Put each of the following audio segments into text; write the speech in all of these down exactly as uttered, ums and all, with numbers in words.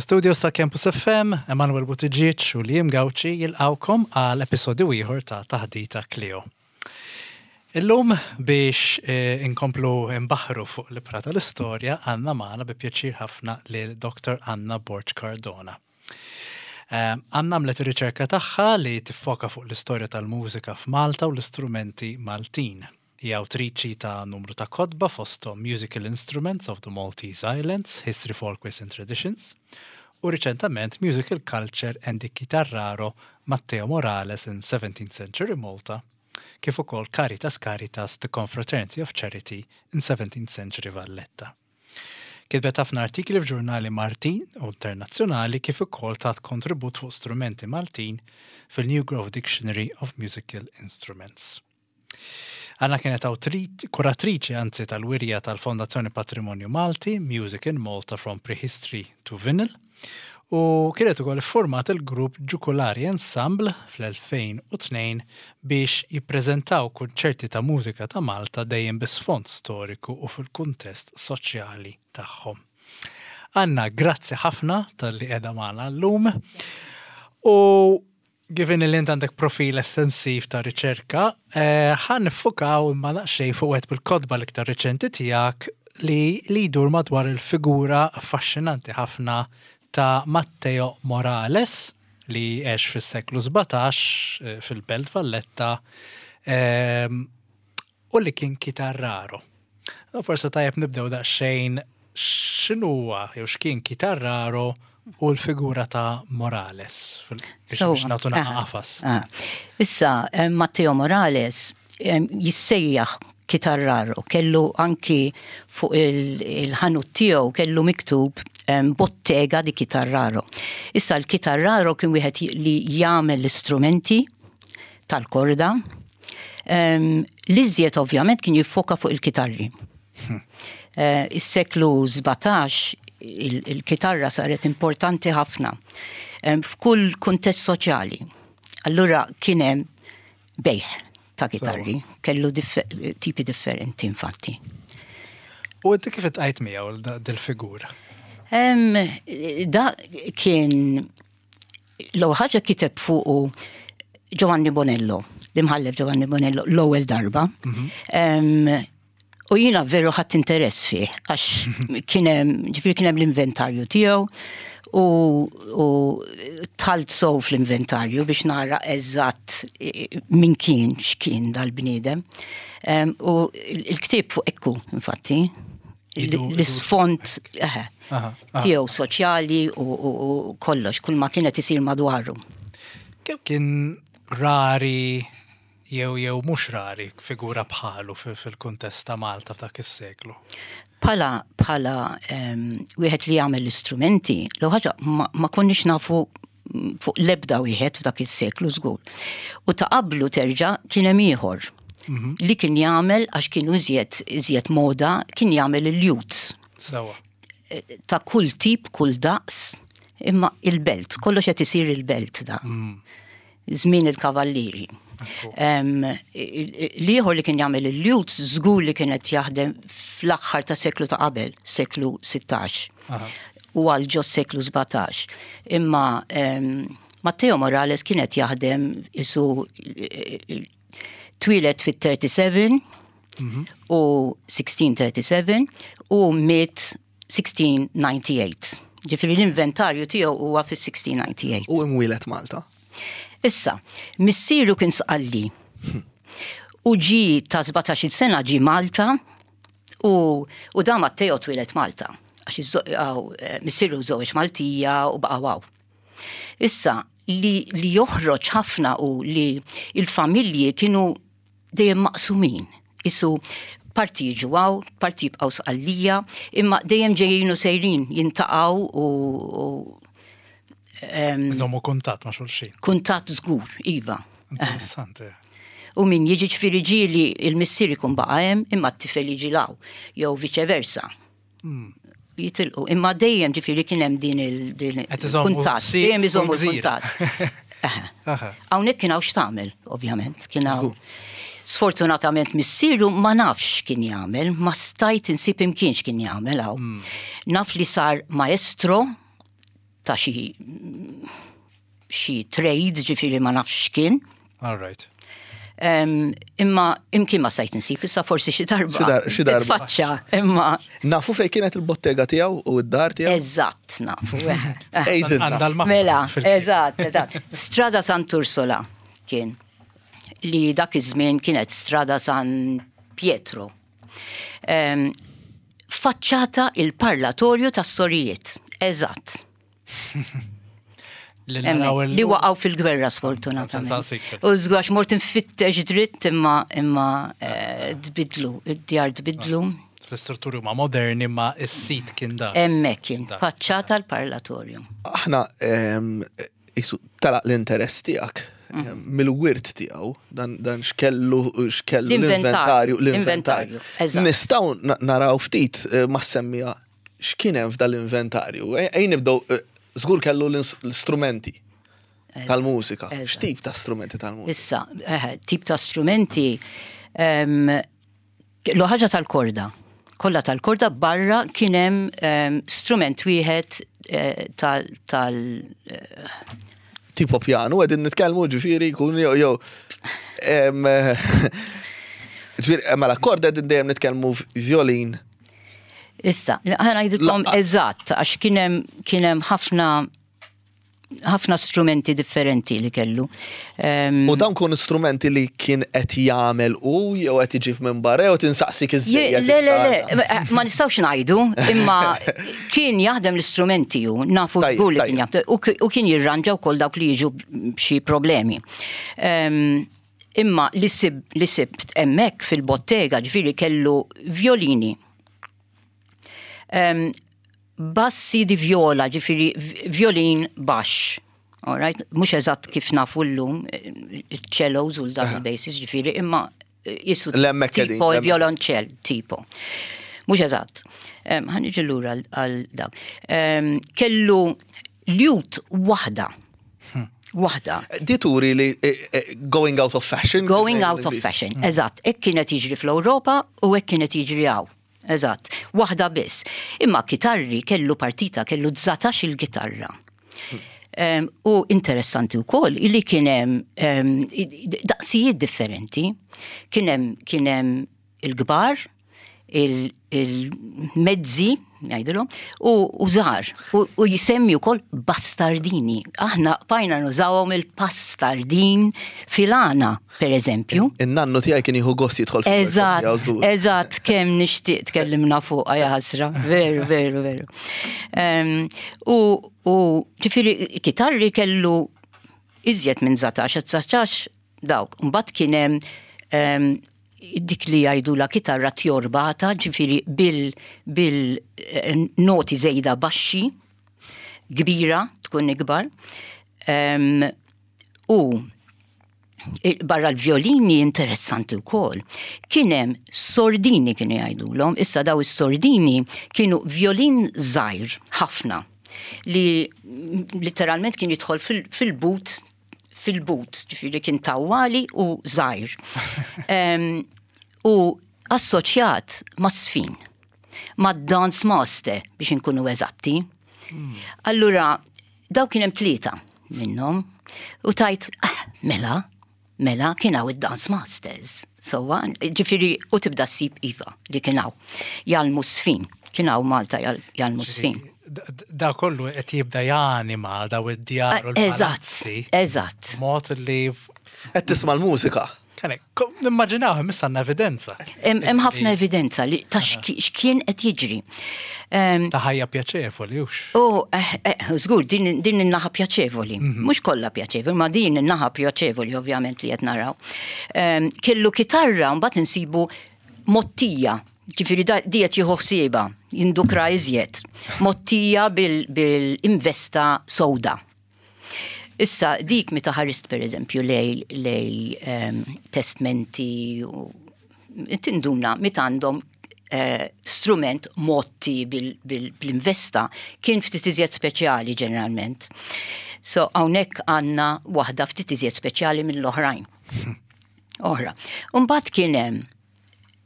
Mill-studios ta' Campus F M, Emanuel Buttigieg u Liam Gauci jilqawkom għal episodju ieħor ta' Taħdita Clio. Illum biex eh, inkomplu imbaħru fuq l-ibħra tal-istorja għandna magħna bi pjaċir ħafna lil Doktor Anna Borg Cardona. Eh, Anna għamlet ir-riċerka tagħha li tiffoka fuq l-istorja tal-mużika f'Malta u l-istrumenti Maltin. Hija awtriċi ta' numru ta' kotba, fosthom Musical Instruments of the Maltese Islands, History, Folkways and Traditions, u riċentament Musical Culture and the Chitarraro Matteo Morales in seventeenth Century Malta, kif ukoll Caritas Caritas, The Confraternity of Charity in seventeenth Century Valletta. Kitbet ħafna artikli f'ġurnali Maltin u internazzjonali, kif ukoll tat kontribut fuq strumenti Maltin fil-New Grove Dictionary of Musical Instruments. Anna kienet kuratriċi, anzi, tal-wirja tal-Fondazzjoni Patrimonju Malti, Music in Malta from Prehistory to Vinyl, u kienet ukoll format il-grupp Ġukulari Ensemble fl-elfejn u tnejn biex jippreżentaw kunċerti ta' mużika ta' Malta dejjem bi sfond storiku u fil-kuntest soċjali tagħhom. Anna, grazzi ħafna talli qiegħda magħna llum. U given li int għandek profil estensiv ta' riċerka, eh, ħa niffukaw imma daqsxejn fuq wieħed bil-kotba l-iktar riċenti tiegħek li li jdur madwar il-figura affaxxinanti ħafna ta' Matteo Morales, li għex fis-seklu sbatax eh, fil-Belt Valletta ehm, u li kien kitarraro. Forse tajjeb nibdew daqsxejn x'inhuwa jew x'kien kitarraro u l-figura ta' Morales biex So, biex nagħtu ah, qafas. ah. Issa, eh, Matteo Morales eh, jissejjaħ kitarraro, kellu anki fuq il- il-ħanut tiegħu kellu miktub em, bottega di chitarraro. Issa l-kitarraro kien wieħed li jagħmel l-istrumenti tal-korda. Em, L-iżjed ovvjament kien jiffoka fuq il-kitarri. Eh, Is-seklu sbatax il- il-kitarra saret importanti ħafna em, f'kull kuntest soċjali. Allura kien hemm bejħ ta' kitarri, kellu diffe tipi differenti infatti. U inti kif iltqajt miegħu dil-figura? Em, da kien l ħaġa kiteb fuqu Giovanni Bonello, l-imħallef Giovanni Bonello, l-ewwel darba. Em, U jiena veru ħadt interess fih, għax kien hemm, ġifieri kien hemm l-inventarju tiegħu u, u dħalt sew fl-inventarju biex nara eżatt eh, min kien, x'kien dal-bniedem. Em, U il-ktieb fuq ekku, infatti, Idu- l-isfond eħe, Aha, aha. tiegħu soċjali u, u, u kollox, kull ma kienet isir madwaru. Kemm kien rari jew jew mhux rari figura bħalu fi- fil-kuntest ta' Malta f'dak is-seklu? Bħala, bħala um, wieħed li jagħmel l-istrumenti, l ħaġa ma, ma konniex nafu mm, fuq lebda wieħed f'dak is-seklu żgur. U ta' qablu terġa' kien hemm ieħor li kien jagħmel, għax kienu iżjed iżjed moda, kien jagħmel il-lutes Sewa. ta' kull tip, kull daqs, imma il-Belt, kollox qed isir il-Belt da. Żmien il-kavallieri. Em, il- il- L-ieħor li kien jagħmel il-lutes żgur li kienet jaħdem fl-aħħar ta' seklu ta' qabel, seklu sittax. Aha. U għal ġo seklu sbatax. Imma em, Matteo Morales kienet jaħdem isu twieled fit-thirty-seven u sixteen thirty-seven u miet sixteen ninety-eight. Ġifieri l-inventarju tiegħu huwa fis-sixteen ninety-eight. U imwieled Malta. Issa, missieru kien Sqalli. U ġi ta' sbatax-il sena ġi Malta u, u da Matteo twieled Malta. Għax iż- għaw, eh, missieru żewġ Maltija u baqa' hawn. Issa, li, li joħroġ ħafna u li il-familji kienu dejjem maqsumin. Isu parti jiġu hawn, parti jibqgħu Sqallija, imma dejjem ġejjin u sejrin jiltaqgħu u, u Iżommu kuntatt ma' xulxin. Kuntatt żgur, iva. Interessanti. U min jiġi, ġifieri ġieli il-missier ikun baqa' hemm imma t-tifel jiġi 'l hawn, jew vice versa. Jitilqu, imma dejjem ġifieri kien hemm din il- din Qed iżommu il-kuntatt, si dejjem iżommu fuq gżira. l-kuntatt. Eħe. Aha. Hawnhekk kien hawn x'tagħmel, ovvjament, kien hawn. Sfortunatament missieru ma nafx kien jagħmel, ma stajt insib imkien x'kien jagħmel hawn. Naf li sar maestro. ta' xi xi trade, ġifieri ma nafx x'kien. All right. Em, imma imkien ma stajt nsib, issa forsi xi darba. Xi dar- xi darba. Titfaċċa, imma Nafu fej kienet il-bottega tiegħu u d-dar tiegħu? Eżatt nafu. Eh. Għidilna. Għandha l-mappa Mela, fil- eżatt, eżatt. Strada Sant'Ursola kien li dak iż-żmien kienet Strada San Pietro. Em, faċċata il-parlatorju tas-sorijiet. Eżatt. Li naraw Hemmhekk, il- Li waqgħu fil-gwerra sfortunatament. Senza secret. U żgwax mort infittex dritt imma imma eh, tbidlu, id-djar tbidlu. L-istrutturi huma moderni ma is-sit kien dak. Hemmhekk kien, Dak. faċċata l-parlatorju. Aħna em, isu talaq l-interess tiegħek em, mill-wirt tiegħu dan dan x'kellu x'kellu L-inventarju, l-inventarju l-inventarju. l-inventarju, eżatt. Nistgħu na- naraw ftit eh, ma semmija x'kien hemm f'dal-inventarju. Ej ej nibdew eh, żgur kellu l-ins- l-istrumenti tal-mużika. Eżatt. X'tip ta' strumenti tal-mużika? Issa, eh, tip ta' strumenti, em, l ħaġa tal-korda. Kollha tal-korda barra kien hemm em, strument wieħed eh, tal tal eh, Tipo pjanu, qegħdin nitkellmu ġifieri jkun jew jew em, eh, Ġifieri, mela korda qegħdin dejjem nitkellmu violin. Issa, ħa ngħidilkom Laqas. eżatt, għax kien hemm kien hemm ħafna ħafna strumenti differenti li kellu. Em, U dawn kun strumenti li kien qed jagħmel u jew qed iġib minn barra jew tinsaqsik Je- iżżejjed. Le, le, le, ma nistgħux ngħidu, imma kien jaħdem l-istrumenti ju, nafu Tajjeb, żgur li kien tajjeb. jaħdem, u ki- u kien jirranġa wkoll dawk li jiġu b'xi problemi. Em, Imma li sib li sibt hemmhekk fil-bottega ġifieri kellu violini. Em, bassi di viola, ġifieri v- violin baxx. All right? Mhux eżatt kif nafu llum, il-cellos u l-double basses, ġifieri, imma jisu L-hemmhekk qegħdin, tipo l-hemmhekk. violonċell, tipo. Mhux eżatt. Em, Ħa niġi lura għal- għal dak. Em, Kellu lute waħda. Waħda. Di turi li eh, eh, going out of fashion. Going out of fashion, eżatt. Hekk kienet jiġri fl-Ewropa u hekk kienet jiġri hawn. Eżatt. Waħda biss. Imma kitarri kellu partita, kellu dsatax il-kitarra. Um, u interessanti wkoll illi kien hemm um, daqsijiet differenti. Kien hemm kien hemm il-kbar, il- il-mezzi, jgħidilhom, u u żgħar. U, u jisemmi wkoll bastardini. Aħna bqajna nużawhom il-pastardin filana, per eżempju. In-nannu tiegħi kien jieħu gost jidħol fil-workshop Eżatt, tiegħu żgur. eżatt, kemm nixtieq tkellimna fuq ja ħasra, veru, veru, veru. Em, U, u ġifieri, kitarri kellu iżjed minn dsatax, dsatax dawk. Mbagħad kien hemm em, dik li jgħidu la kitarra tjorbata, ġifieri bil, bil eh, noti żejda baxxi, kbira, tkun ikbar. Em, u il- barra l-violini interessanti wkoll. Kien hemm sordini kienu jgħidulhom, issa daw is-sordini kienu violin żgħir ħafna li mm, literalment kien jidħol fil- fil-but fil-but, ġifieri kien tawwali u żgħir. Em, u assoċjat ma' żfin, ma' dance master biex inkunu eżatti. Allura, daw kien hemm tlieta minnhom u tajt, ah, mela, mela kien hawn id-dance masters. So, ġifieri, u tibda ssib iva li kien hawn. Jgħallmu żfin, kien hawn Malta jgħal- jgħallmu żfin. Da- Da kollu qed jibda janima daw id-djar u Eżatt, l-palazzi. eżatt. Mod li Qed tisma' l-mużika. Kane, nimmaġinaw issa għandna evidenza. Hemm hemm ħafna evidenza li ta' xki- x'kien qed jiġri. Em, Ta' ħajja pjaċevoli, hux. U, eh, eh, żgur, din, din in-naħa pjaċevoli. Mhux kollha pjaċevoli, ma din in-naħa pjaċevoli ovvjament li qed naraw. Em, Kellu kitarra mbagħad insibu mottija, ġifieri da- di qed jieħu ħsiebha, jindukra iżjed. Mottija bil-investa sewda. Issa, dik meta ħarist per eżempju lej, lej um, testmenti u tinduna meta għandhom eh, strument motti bil-investa kien ftit iżjed speċjali ġeneralment. So hawnhekk għandna waħda ftit iżjed speċjali mill-oħrajn. Oħra. Umbagħad kien hemm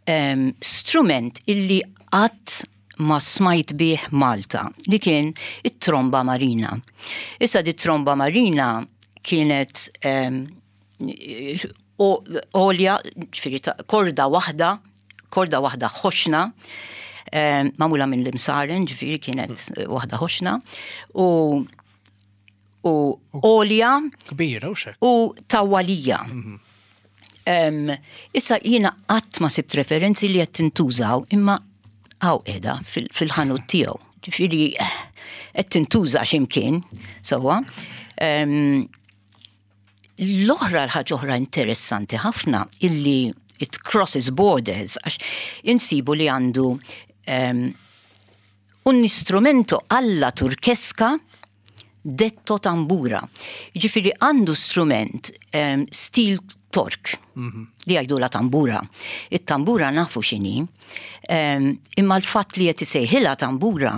em, strument illi qatt ma smajt bih Malta, li kien it-tromba marina. Issa di tromba marina kienet em, o- għolja, ġifieri ta' korda waħda, korda waħda ħoxna, em, magħmula minn l-imsaren, ġifieri kienet eh, waħda ħoxna, u u għolja Kbira u xek. u tawwalija. Em, issa jiena qatt ma sibt referenzi li qed tintużaw imma hawn qiegħda fil- fil-ħanut tiegħu. Ġifieri eh, qed tintuża x'imkien, sewwa. Em, L-oħra l-ħaġa oħra interessanti ħafna illi it crosses borders għax insibu li għandu um, un istrumento alla turchesca detto tambura. Ġifieri għandu strument um, stil Tork li jgħidu la tambura. It-tambura nafu x'inhi, um, imma l-fatt li qed isejħilha tambura,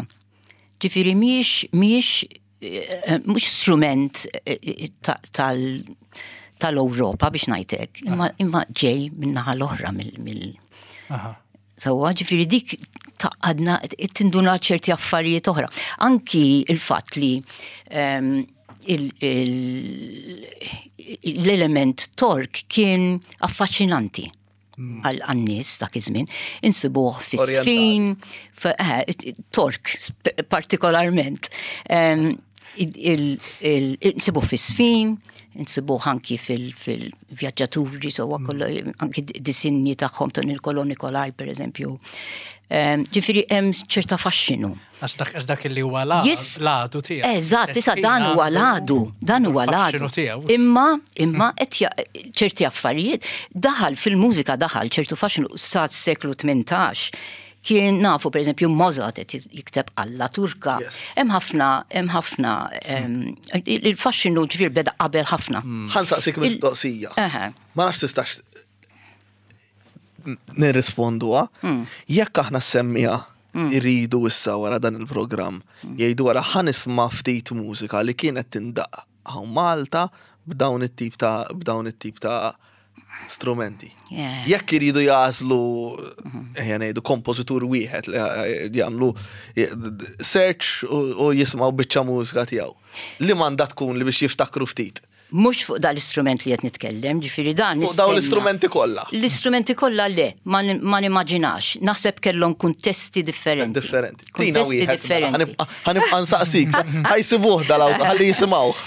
ġifieri mhix mhix eh, mhux strument eh, ta- tal tal-Ewropa biex ngħidlek, imma, imma ġej min-naħa l-oħra mill, mill Aha. Sewwa, ġifieri dik taqadna tinduna ċerti affarijiet oħra. Anki il-fatt li um, il- il- l-element Tork kien affaxxinanti għal għan-nies dak iż-żmien, insibuh fis-sfin, eh, Tork sp- partikolarment. Em, il- il- il- Insibuh fis-sfin, insibuh anki fil-vjaġġaturi, so kollu anki disinji tagħhom ta' Nicolò Nicolai per eżempju. Em, Ġifieri hemm ċerta faxxinu. Għax dak għax dak li huwa la- Jis- l-għadu tiegħu. Eżatt, issa dan huwa l-għadu, dan huwa l-għadu l-għadu. tiegħu. Imma, imma qed ja- ċerti affarijiet daħal fil-mużika daħal ċertu faxxinu sa seklu tmintax. Kien nafu per eżempju Mozart qed jikteb alla Turka. Yes. Hemm ħafna, hemm ħafna em, il- il-faxxinu ġifier beda qabel ħafna. Ħa nsaqsik Il- mistoqsija. Eħe. Ma nafx tistax nirrisponduha. Jekk aħna semmija irridu issa wara dan il-programm, jgħidu wara ħa nisma' ftit mużika li kienet tindaq hawn Malta b'dawn it-tip ta' b'dawn it-tip ta' strumenti. Yeah. Jekk iridu jagħżlu ejja ngħidu kompożitur wieħed li jagħmlu search u u jisimgħu biċċa mużika tiegħu. Li m'għandha tkun li biex jiftakru ftit. Mhux fuq dal-istrument li qed nitkellem, ġifieri dan Fuq dawn nistenna. l-istrumenti kollha. L-istrumenti kollha le, ma nim- ma nimmaġinax. Naħseb kellhom kuntesti differenti. Differenti. Tina Kuntesti wieħed. mela, differenti. Ħa nibqa' ħa nibqa' nsaqsik. Ħa jsibuh dal ħalli jisimgħuh.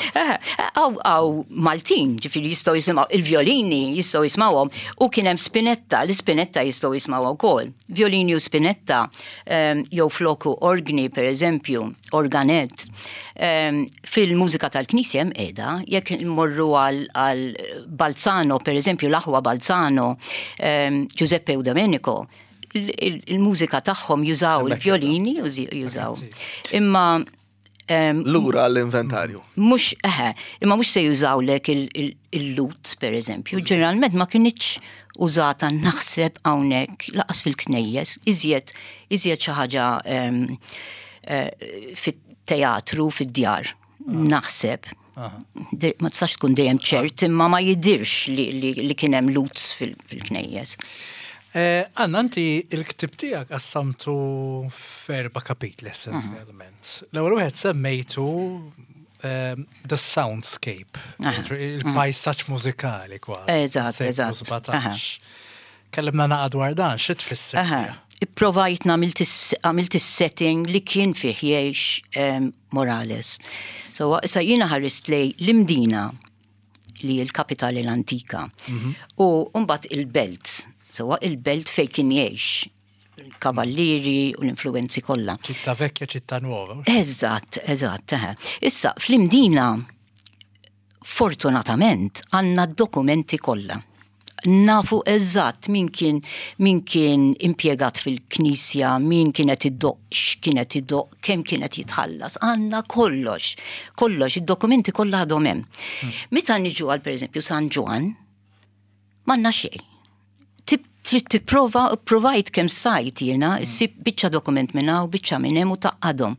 Għaw, għaw Maltin, ġifieri jistgħu jisimgħu, il-violini jistgħu jisimgħuhom, u kien hemm spinetta, l-spinetta jistgħu jisimgħu wkoll. Violini u spinetta, em, jew floku orgni, per eżempju, organet. Em, Fil-mużika tal-Knisja hemm qiegħda, jekk immorru għal għal Balzano, per eżempju, l-aħwa Balzano, em, Giuseppe u Domenico, il- il- il-mużika tagħhom jużaw Hemmhekk il-violini, jużaw. Imma em, Lura għall-inventarju. Mhux, eħe, imma mhux se jużawlek il-lut, per eżempju. Ġeneralment ma kinitx użata naħseb hawnhekk lanqas fil-knejjes, iżjed iżjed xi ħaġa em, eh, fit-teatru, fid-djar. Naħseb. De- Ma tistax tkun dejjem ċert, imma ma jidirx li, li, li kien hemm lutes fil- fil-knejjes. Eh, Anna, inti il-ktib tiegħek qassamtu f'erba' kapitli essenzjalment. L-ewwel wieħed semmejtu ehm, The Soundscape, il-pajsaġġ mużikali kważi. Eżatt, Seklu eżatt. sbatax. Kellimna naqa dwar dan, xi tfisser? Aha. Ipprovajt għamilt għamilt is-setting li kien fih jgħix em, Morales. So, issa jiena ħarist lej l-Imdina li l-kapitali l-antika. U mbagħad il-belt. So, il-belt fej kien jgħix. Il-kavallieri u l-influenzi kollha. Città vecchia, città nuova. Eżatt, eżatt. eħe. Issa, fl-Imdina, fortunatament, għandna dokumenti kollha. Nafu eżatt min kien min kien impjegat fil-knisja, min kienet iddoq, x'kienet iddoq, kemm kienet jitħallas. Għandna kollox, kollox, id-dokumenti kollha għadhom hemm. Meta niġu għal pereżempju San Ġwann, m'għandna xejn. Tib Trid tipprova, provajt kemm stajt jiena, ssib biċċa dokument minn hawn, biċċa minn hemm u tgħaqqadhom.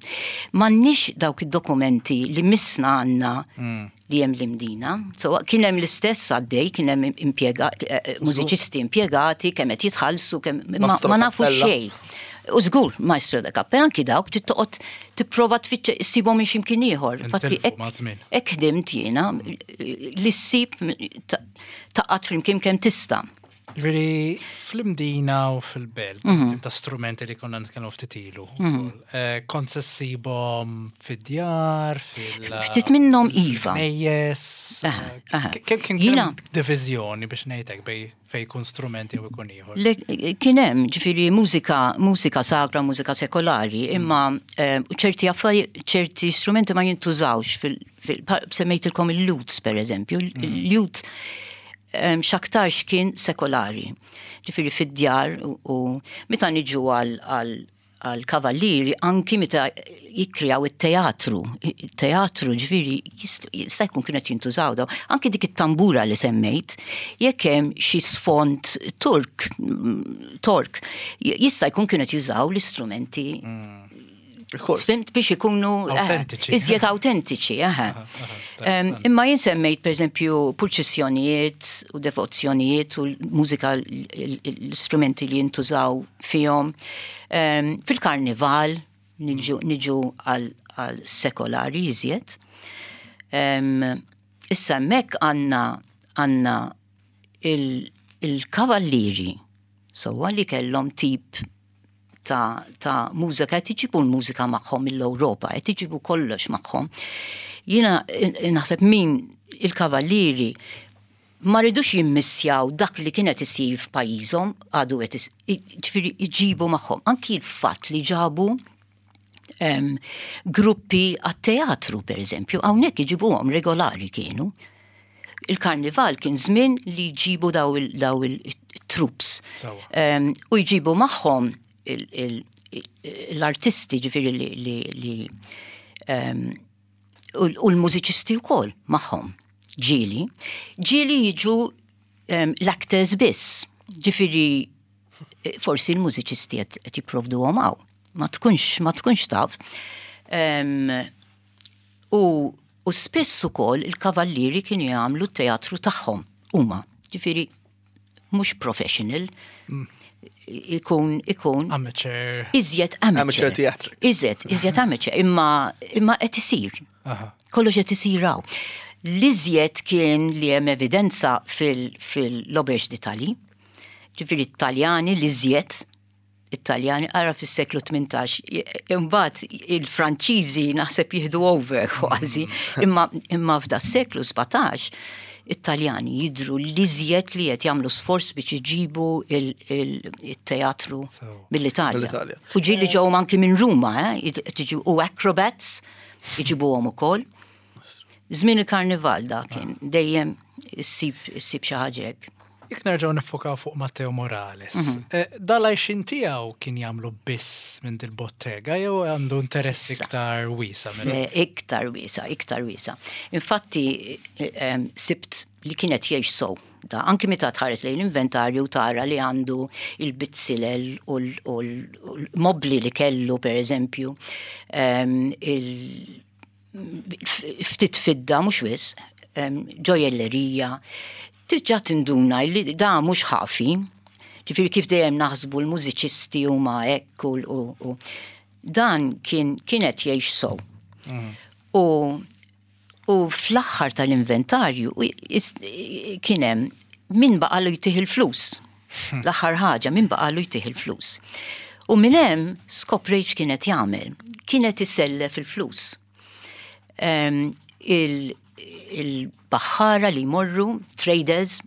M'għandniex dawk id-dokumenti li missna għandna li hemm l-Imdina. So, kien hemm l-istess għaddej, kien hemm impjega, eh, mużiċisti impjegati, kemm qed jitħallsu, kemm ma, Maestro ma nafu Cappella. xejn. U żgur, maestro da cappella, anki dawk trid toqgħod tipprova tfittx issibhom minn x'imkien ieħor. Infatti Intilfu ma' żmien. hekk ħdimt jiena li ssib ta- tgħaqqad flimkien kemm tista'. Ġifieri, fl-Imdina u fil-belt, Mhm. tip ta' strumenti li konna nitkellmu ftit ilu. Eh, Kont se ssibhom fid-djar, fil- Ftit minnhom iva. Knejjes. Aha, aha. Kemm kien Jiena- kemm diviżjoni biex ngħidlek bej fej jkun strumenti u jkun ieħor. Le- Kien hemm ġifieri mużika, mużika sagra, mużika sekolari, imma eh, ċerti affari, ċerti strumenti ma jintużawx fil, fil pa- semmejtilkom il-lutes per eżempju, il-lute em, x'aktarx kien sekolari. Ġifieri fid-djar u, u meta niġu għal għal għal kavallieri anki meta jikkreaw it-teatru. Il-teatru ġifieri jist- jista' jkun kienet jintużaw daw. Anki dik it-tambura li semmejt, jekk hemm xi sfond Turk, mm, Tork, jista' jkun kienet jużaw l-istrumenti Of course. Fhimt biex ikunu eh, Autentiċi. Iżjed autentiċi, aha. Em, Imma jien semmejt per eżempju purċissjonijiet u devozzjonijiet u l-mużika l-istrumenti li jintużaw fihom. Em, Fil-karnival niġu niġu għal għal sekolari iżjed. Em, Issa hemmhekk għandna għandna il- il-kavallieri sewwa li kellhom tip ta', ta' mużika, qed iġibu l-mużika magħhom mill-Ewropa, qed iġibu kollox magħhom. Jiena eh, naħseb min il-kavallieri ma ridux jimmissjaw dak li kienet isir f'pajjiżhom għadu qed is- ġifieri iġibu magħhom. Anki l-fatt li ġabu em, gruppi għat-teatru, per eżempju, hawnhekk iġibuhom regolari kienu. Il-karnival kien żmien li jġibu daw il- daw il-troops. Sewwa. Um, u jġibu magħhom il- il- il- l-artisti ġifieri li, li, li um, u u l-mużiċisti wkoll magħhom. Ġieli. Ġieli jiġu um, l-actors biss. Ġifieri eh, forsi l-mużiċisti qed qed jipprovduhom hawn. Ma tkunx ma tkunx taf. Um, u, u spiss ukoll il-kavallieri kienu jagħmlu t-teatru tagħhom huma. Ġifieri mhux professional. Ikun ikun Amateur. iżjed amateur. Amateur theatrics. Iżjed, iżjed amateur, imma imma qed isir. Aha. Kollox qed isir hawn. L-iżjed kien li hemm evidenza fil-Auberge d'Italie. Ġifieri Italjani l-iżjed Italjani ara fis-seklu tmintax. Imbagħad il-Franċiżi naħseb jieħdu over kważi, imma imma f'da seklu sbatax Italjani jidru l-iżjed li qed jagħmlu sforz biex iġibu il-teatru So. mill-Italja. Mill-Italja. U ġieli ġew anki minn Ruma, eh? tiġi- u acrobats iġibuhom ukoll. Żmien il-karnival da kien dejjem issib issib xi ħaġa hekk. Jekk nerġgħu nifokaw fuq Matteo Morales, Mhm. eh, dal-għajxien tiegħu kien jagħmlu biss minn dil-bottega jew għandu interess iktar wiesa' minn Le, iktar wiesa', iktar wiesa'. Infatti, eh, em, sibt li kienet jgħix sow. Da, anki meta tħares lejn l-inventarju tara li għandu il-bizzilel u l- u l- u l-mobli li kellu, per eżempju, em, il- ftit fidda, mhux wisq, em, ġojellerija, tiġa tinduna li da mhux ħafi, ġifieri kif dejjem naħsbu l-mużiċisti huma hekk u, u, u dan kien kienet jgħix sow. U u fl-aħħar tal-inventarju u is- kien hemm min baqalu jtih il-flus. L-aħħar ħaġa min baqalu jtih il-flus. U minn hemm skoprejt kienet jagħmel. Kienet isellef il-flus. Em, il- Il-baħħara li jmorru, traders,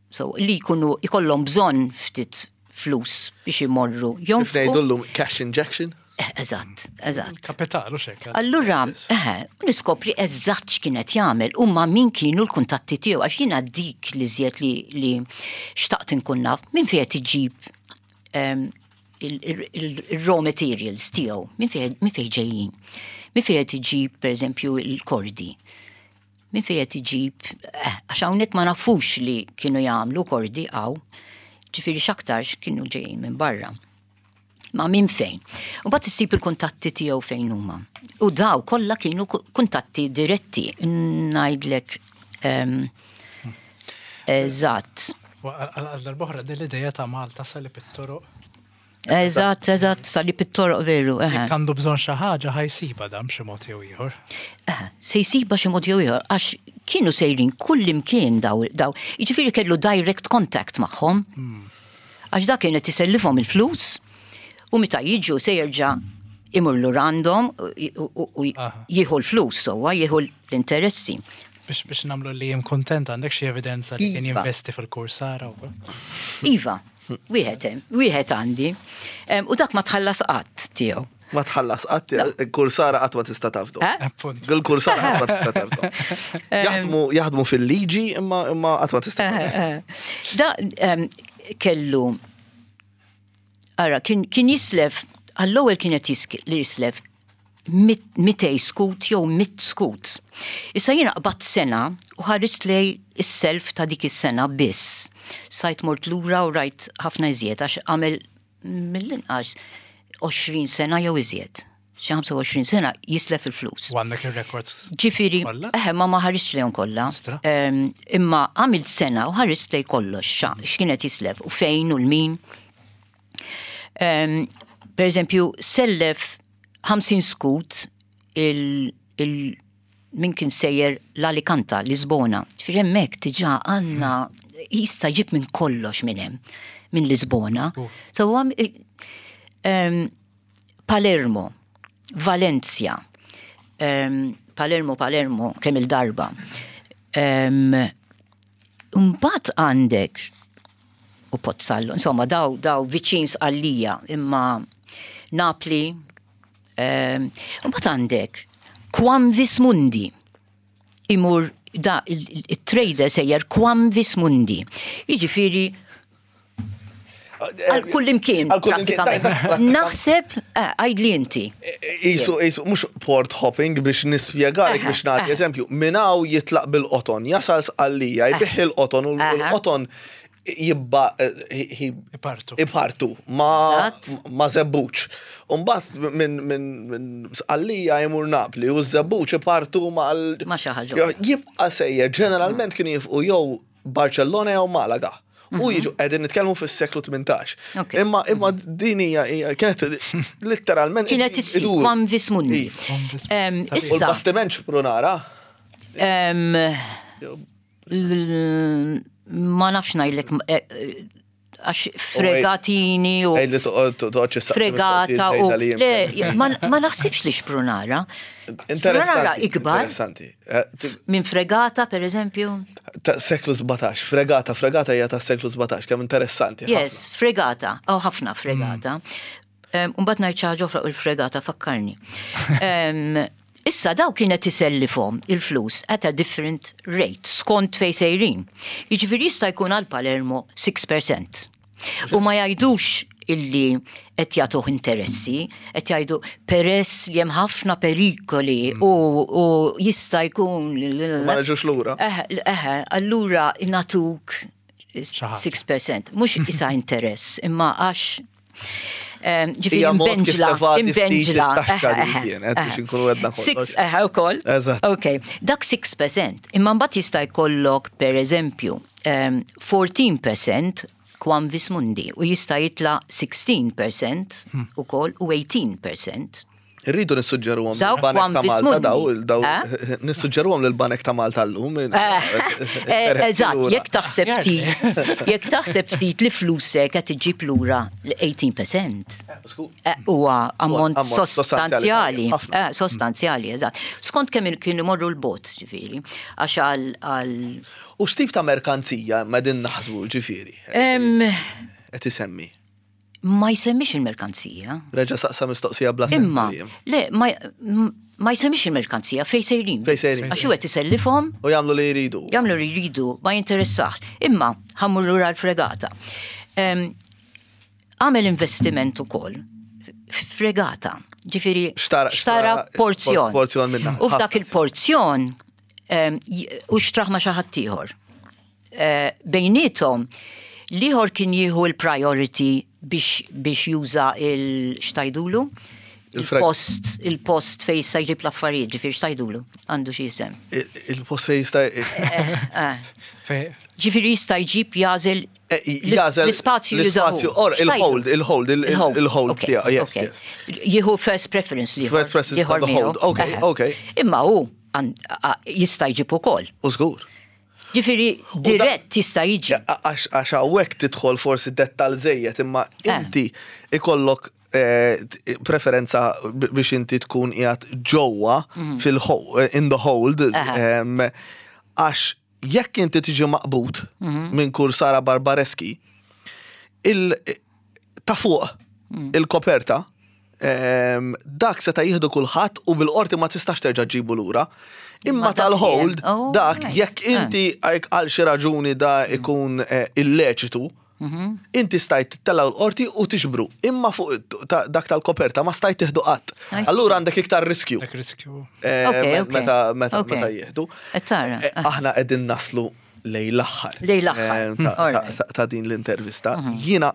so li jkunu ikollhom bżonn ftit flus biex imorru. Kif Jonfqu. ngħidu llum cash injection? Eh, Eżatt, eżatt. Kapital u xek. Allura, eh, niskopri eżatt x'kienet jagħmel u ma' min kienu l-kuntatti tiegħu għax jiena dik li żjed li, li xtaqt inkun naf minn fejn qed iġib em, il-raw materials tiegħu, minn fejn minn fejn ġejjin. Minn fejn qed iġib pereżempju il-kordi. Minn fejn qed iġib, eh, għax hawnhekk ma nafux li kienu jagħmlu kordi hawn. Ġifieri x'aktarx kienu ġejjin minn barra. Ma minn fejn. U mbagħad issib il-kuntatti tiegħu fejn huma. U daw kollha kienu kuntatti diretti. Ngħidlek eżatt. Għal darb'oħra din l-ideja ta' Malta salib it-toroq. Eżatt, eżatt, salib it-toroq veru. Jekk għandu bżonn xi ħaġa ħa jsibha dam xi mod jew ieħor. Se jsibha xi mod jew ieħor għax kienu sejrin kull imkien daw, daw. Jiġifieri kellu direct contact magħhom. Għax dak kienet isellifhom il-flus u meta jiġu se jerġa' imur lura għandhom u jieħu l-flus sewwa, jieħu l-interessi. Biex biex nagħmlu li jem kontent, għandek xi evidenza li kien Iva. jinvesti fil-Kursara u Iva, wieħed hemm, wieħed għandi. Em, U dak ma tħallas qatt tiegħu. Ma tħallas qatt, il-Kursara qatt ma tista' tafdu. Eh? Appunt. Il-Kursara qatt ma tista' tafdu. Jaħdmu jaħdmu fil-liġi imma imma qatt ma tista' tafdu. Da em, kellu Ara, kien, kien jislef, għall-ewwel kienet jisk- li jislef mit- mitej skut jew mit skut. Issa jiena qbadt sena u ħarist lej is-self ta' dik is-sena biss. Sajt mort lura u rajt ħafna iżjed għax għamel mill-inqas għoxrin sena jew iżjed. Xi ħamsa u għoxrin sena jislef il-flus. U għandek il-records. Ġifieri, Kollha? eħe, ma ma ħarist lejhom kollha. Stra. Em, Imma għamilt sena u ħarist lej kollox, xa- x'kienet jislef u fejn u l-min. Em, Per eżempju, sellef ħamsin skut il, il min kien sejjer l-Alicanta, Lisbona. Ġifieri hemmhekk diġà għandna jista' jġib minn kollox minn hemm, minn Lisbona. Oh. So, għam, em, Palermo, Valencia, em, Palermo, Palermo, kemm il-darba. Um, Mbagħad għandek u Pozzallo, insomma, daw, daw viċin Sqallija, imma Napli, um, mbagħad għandek Quamvis Mundi, imur da il-trader sejjer Quamvis Mundi. Jiġifieri għal kull imkien, Għal kull imkien, prattikament. dak- dak prattikament. Naħseb, eh, għajdli inti. Isu, isu, mhux port hopping biex nispjegalek Aha, biex nagħti aha. eżempju, minn hawn jitlaq bil-qoton, jasal Sqallija, jbigħ il-qoton u Aha. l-qoton jibba eh, Ipartu. Ipartu ma Eżatt. ma żebbuġ. Umbagħad minn min, min Sqallija jmur Napli u żebbuġ ipartu ma l- Ma xi ħaġa oħra. Jibqa' sejjer, ġeneralment kienu jifqu jew Barcellona jew Malaga. U jiġu qegħdin nitkellmu fis-seklu tmintax. Mhm. Ok. Imma imma din hija hija- kienet literalment Kienet issir idur. Quamvis Mundi. Iva. Quamvis Em, Mundi. U Issa, l-bastiment xprunara. em, l- ma nafx ngħidlek eh, eh, għax fregatini u Ej li toqgħodx issaqsi fregata u mistoqsijiet le, żejda li ma ma naħsibx li xprunara. Xprunara Interessanti. ikbar Interessanti. Eh, ti- minn fregata per eżempju. Ta' seklu sbatax, fregata, fregata hija ta' seklu sbatax, kemm interessanti. Yes, fregata, oh ħafna fregata. Um, Umbagħad ngħid xi ħaġa oħra u l-fregata fakkarni. Em, Issa daw kienet isellifhom il-flus at a different rate skont fej sejrin. Jiġifieri jista' jkun għal Palermo sitta fil-mija. U ma jgħidux illi qed jagħtuh interessi, qed jgħidu peress li hemm ħafna perikoli u, u jista' jkun Ma neġux lura. Eh, eh, allura natuk ħaġa. sitta fil-mija. Mhux isa interess, imma għax em, ġifieri Hija mod kif imbenġla, tevadi ftit imbenġla. it-taxxa eh, li eh, kienet, eh. biex inkunu għedna Six, kollox. eh, ukoll. Eżatt. Ok, dak sitta fil-mija. Imma mbagħad jista' jkollok per eżempju em, erbatax fil-mija Quamvis Mundi u jista' jitla sittax fil-mija ukoll u tmintax fil-mija. Irridu nissuġġeruhom Dawk lill-Banek ta' Quamvis Malta Mundi. daw, daw Eh? nissuġġeruhom lill-Banek ta' Malta llum. Eh, Eżatt, jekk taħseb ftit, jekk taħseb ftit li flusek qed iġġib lura l-tmintax fil-mija. Eh, Huwa ammont ammont sostanzjali. sostanzjali, ħafna. Eh, Sostanzjali, eżatt. Skont kemm kienu morru l-bot, ġifieri, għax għal għal U x'tip ta' merkanzija ma din naħsbu ġifieri? Em, Qed isemmi. Ma jsemmix il-merkanzija. Reġa' saqsa mistoqsija bla sens Imma, li jem. le, ma, ma jsemmix il-merkanzija fej sejrin. Fej sejrin. Għax u qed isellifhom, U jagħmlu li jridu. jagħmlu li jridu, ma jinteressax. Imma ħa mmur lura l-fregata. Em, Għamel investiment ukoll fregata. Ġifieri Xtara- xtara xtara porzjon. porzjon minna. U f'dak Ħafna. il-porzjon em, j- u xtrah ma' xi ħadd ieħor. Eh, Bejnietom L-ieħor kien jieħu l-priority biex, biex juża il-x'tgħidulu? Il-frag- Il-post, il-post fej jista' jġib l-affarijiet, ġifieri x'tgħidulu? Għandu xi jisem. Il- Il-post fej jista' Eh, Fej- Ġifieri jista' jġib jagħżel Eh, jagħżel l-ispazju jużahu. l-ispazju, or il-hold, il-hold, il- il-hold tiegħu, yes, yes. Jieħu first preference li First preference the hold, okay, okay. Imma hu għan- a- jista' jġib ukoll. U żgur. Ġifieri dirett jista' jiġi. Ja, Għax għax hawnhekk tidħol forsi dettal żejjed, imma Eh. inti ikollok eh, t- preferenza b- biex inti tkun qiegħed ġewwa fil in the hold, Mhm. Aha. em, għax jekk inti tiġi maqbud Mhm. minn Kursara Barbareschi, il ta' fuq Mm. il-koperta, em, dak seta' jieħdu kulħadd u bil-qorti ma tistax terġa' ġibu lura. Imma Ma dak tal-hold, jien- oh, dak right. jekk Ah. inti għajk għal xi raġuni da ikun eh, illeċitu, Mhm. inti stajt tittella l-qorti u tiġbru. Imma fuq ta- dak tal-koperta ma stajt tieħdu qatt. I see. Allura għandek iktar riskju. Dak riskju. Eh, Okay, me- okay. Meta meta Okay. meta jieħdu. Qed tara, Eh, ah. Aħna qegħdin naslu lejn l-aħħar. Lejn l-aħħar. Eh, ta- All right. ta- Ta' din l-intervista. Jiena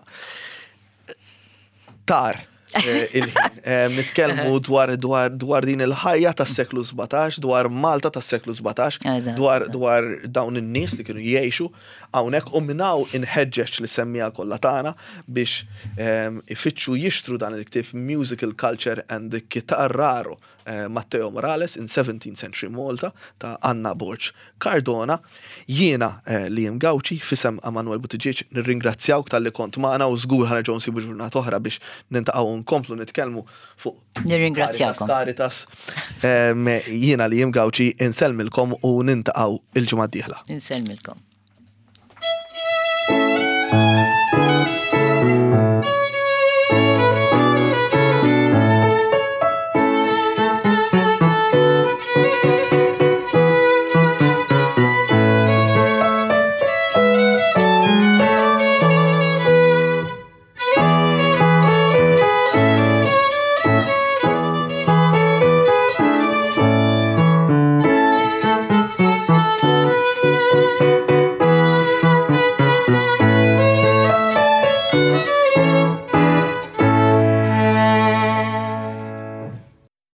tar eh, il-ħin. Eh, Nitkellmu dwar dwar dwar din il-ħajja tas-seklu sbatax, dwar Malta tas-seklu sbatax, Eżatt. dwar dwar dawn in-nies li kienu jgħixu hawnhekk u minn hawn inħeġġeġ li semmija kollha tagħna biex ehm, ifittxu jixtru dan il-ktieb Musical Culture and the Chitarraro eh, Matteo Morales in seventeenth Century Malta ta' Anna Borg Cardona. Jiena eh, Liam Gauci f'isem Emanuel Buttigieg nirringrazzjawk talli kont magħna u żgur ħa nerġgħu nsibu ġurnata oħra biex nintaqgħu nkomplu nitkellmu fuq Nirringrazzjakom. Caritas. Em, Jiena Liam Gauci insellmilkom u nintaqgħu il-ġimgħa d-dieħla. Insellmilkom.